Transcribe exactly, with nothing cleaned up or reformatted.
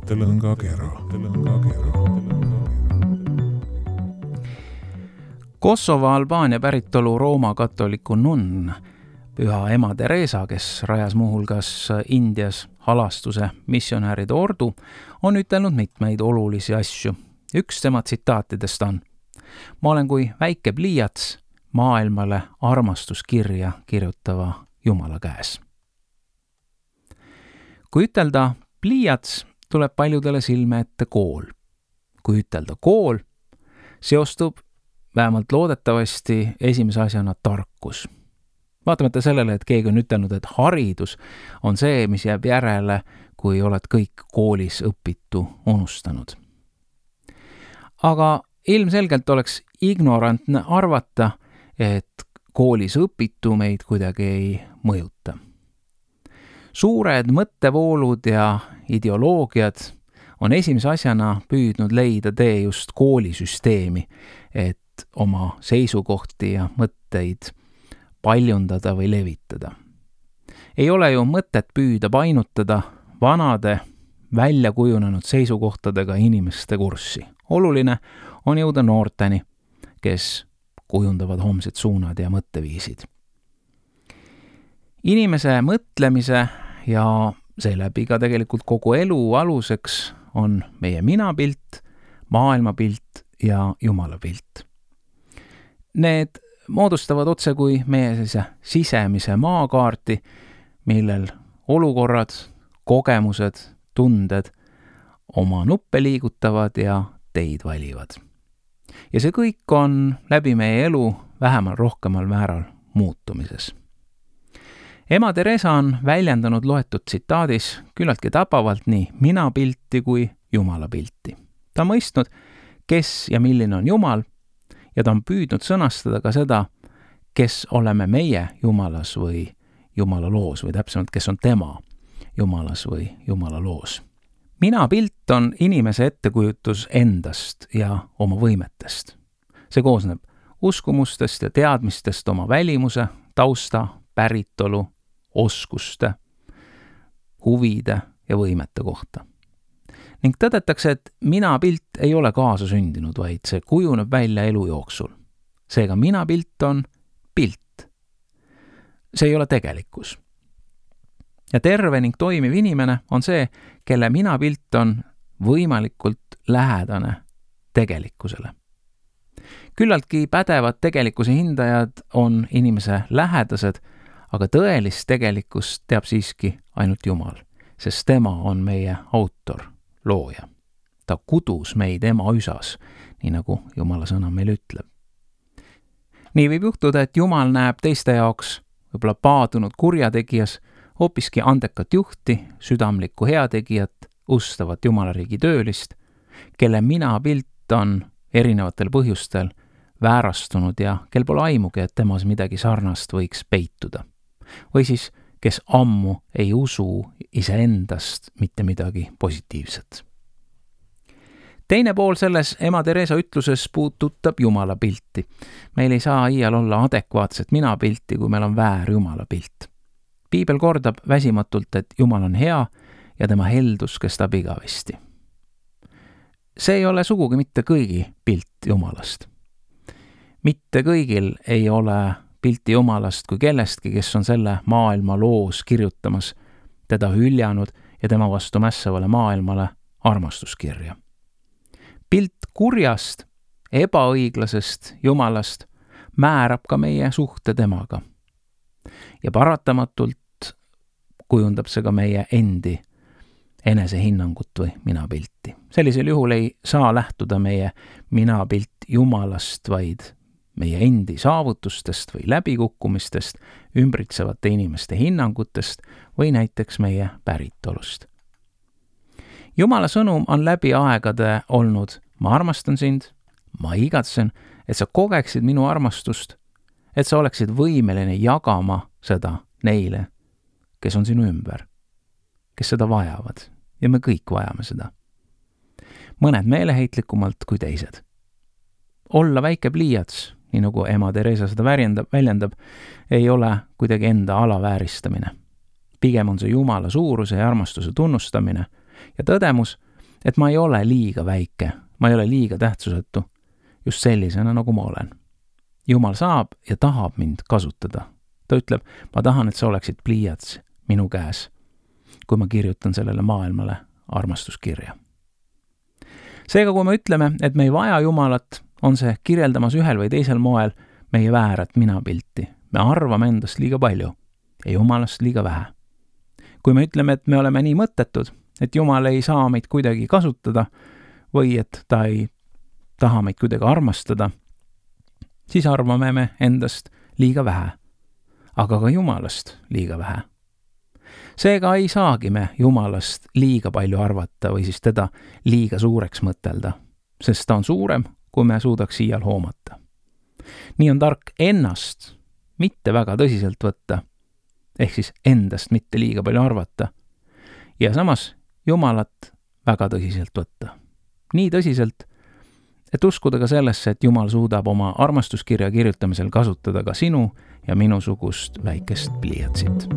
mõttelõngakera. Kosovo Albaania päritolu Rooma katoliku nunn, püha ema Teresa, kes rajas muuhulgas Indias halastuse missionääride ordu, on ütelnud mitmeid olulisi asju. Üks tema tsitaatidest on: ma olen kui väike pliiats maailmale armastuskirja kirjutava Jumala käes. Kui ütelda pliiats, tuleb paljudele silme ette kool. Kui ütelda kool, seostub vähemalt loodetavasti esimese asjana tarkus. Vaatamata sellele, et keegi on ütelnud, et haridus on see, mis jääb järele, kui oled kõik koolis õpitu unustanud. Aga ilmselgelt oleks ignorantne arvata, et koolis õpitu meid kuidagi ei mõjuta. Suured mõttevoolud ja ideoloogiad on esimese asjana püüdnud leida tee just koolisüsteemi, et oma seisukohti ja mõtteid paljundada või levitada. Ei ole ju mõtet püüda painutada vanade, välja kujunenud seisukohtadega inimeste kurssi. Oluline on jõuda noorteni, kes kujundavad homsed suunad ja mõtteviisid. Inimese mõtlemise ja seeläbi ka tegelikult kogu elu aluseks on meie minapilt, maailmapilt ja Jumalapilt. Need moodustavad otse kui meie sellise sisemise maakaarti, millel olukorrad, kogemused, tunded oma nuppe liigutavad ja teid valivad. Ja see kõik on läbi meie elu vähemal rohkemal määral muutumises. Ema Teresa on väljendanud loetud tsitaadis küllaltki tabavalt nii minapilti kui Jumalapilti. Ta on mõistnud, kes ja milline on Jumal, ja ta on püüdnud sõnastada ka seda, kes oleme meie Jumalas või Jumala loos, või täpsemalt, kes on tema Jumalas või Jumala loos. Minapilt on inimese ettekujutus endast ja oma võimetest. See koosneb uskumustest ja teadmistest oma välimuse, tausta, päritolu, oskuste, huvide ja võimete kohta. Ning tõdetakse, et minapilt ei ole kaasasündinud, vaid see kujuneb välja elu jooksul. Seega minapilt on pilt. See ei ole tegelikkus. Ja terve ning toimiv inimene on see, kelle minapilt on võimalikult lähedane tegelikkusele. Küllaltki pädevad tegelikkuse hindajad on inimese lähedased, aga tõelist tegelikkust teab siiski ainult Jumal, sest tema on meie autor, looja. Ta kudus meid ema üsas, nii nagu Jumala sõna meil ütleb. Nii võib juhtuda, et Jumal näeb teiste jaoks võib-olla paadunud kurjategijas hoopiski andekat juhti, südamlikku heategijat, ustavat Jumalariigi töölist, kelle minapilt on erinevatel põhjustel väärastunud ja kel pole aimugi, et temas midagi sarnast võiks peituda. Või siis, kes ammu ei usu iseendast mitte midagi positiivset. Teine pool selles ema Teresa ütluses puudutab Jumala pilti. Meil ei saa iial olla adekvaatset minapilti, kui meil on väär Jumala pilt. Piibel kordab väsimatult, et Jumal on hea ja tema heldus kestab igavesti. See ei ole sugugi mitte kõigi pilt Jumalast. Mitte kõigil ei ole pilti Jumalast kui kellestki, kes on selle maailma loos kirjutamas, teda hüljanud ja tema vastu mässavale maailmale armastuskirja. Pilt kurjast, ebaõiglasest Jumalast määrab ka meie suhte temaga. Ja paratamatult kujundab see ka meie endi enesehinnangut või minapilti. Sellisel juhul ei saa lähtuda meie minapilt Jumalast, vaid meie endi saavutustest või läbikukkumistest, ümbritsevate inimeste hinnangutest või näiteks meie päritolust. Jumala sõnum on läbi aegade olnud: ma armastan sind, ma igatsen, et sa kogeksid minu armastust, et sa oleksid võimeline jagama seda neile, kes on sinu ümber, kes seda vajavad, ja me kõik vajame seda. Mõned meeleheitlikumalt kui teised. Olla väike pliiats, nii nagu ema Teresa seda väljendab, väljendab, ei ole kuidagi enda alavääristamine. Pigem on see Jumala suuruse ja armastuse tunnustamine ja tõdemus, et ma ei ole liiga väike, ma ei ole liiga tähtsusetu, just sellisena, nagu ma olen. Jumal saab ja tahab mind kasutada. Ta ütleb, ma tahan, et sa oleksid pliiats minu käes, kui ma kirjutan sellele maailmale armastuskirja. Seega, kui me ütleme, et me ei vaja Jumalat, on see kirjeldamas ühel või teisel moel meie väärat minapilti. Me arvame endast liiga palju ja Jumalast liiga vähe. Kui me ütleme, et me oleme nii mõttetud, et Jumal ei saa meid kuidagi kasutada või et ta ei taha meid kuidagi armastada, siis arvame me endast liiga vähe, aga ka Jumalast liiga vähe. Seega ei saagi me Jumalast liiga palju arvata või siis teda liiga suureks mõtelda, sest ta on suurem, kui me suudaks iial hoomata. Nii on tark ennast mitte väga tõsiselt võtta, ehk siis endast mitte liiga palju arvata, ja samas Jumalat väga tõsiselt võtta. Nii tõsiselt, et uskuda ka sellesse, et Jumal suudab oma armastuskirja kirjutamisel kasutada ka sinu ja minusugust väikest pliiatsit.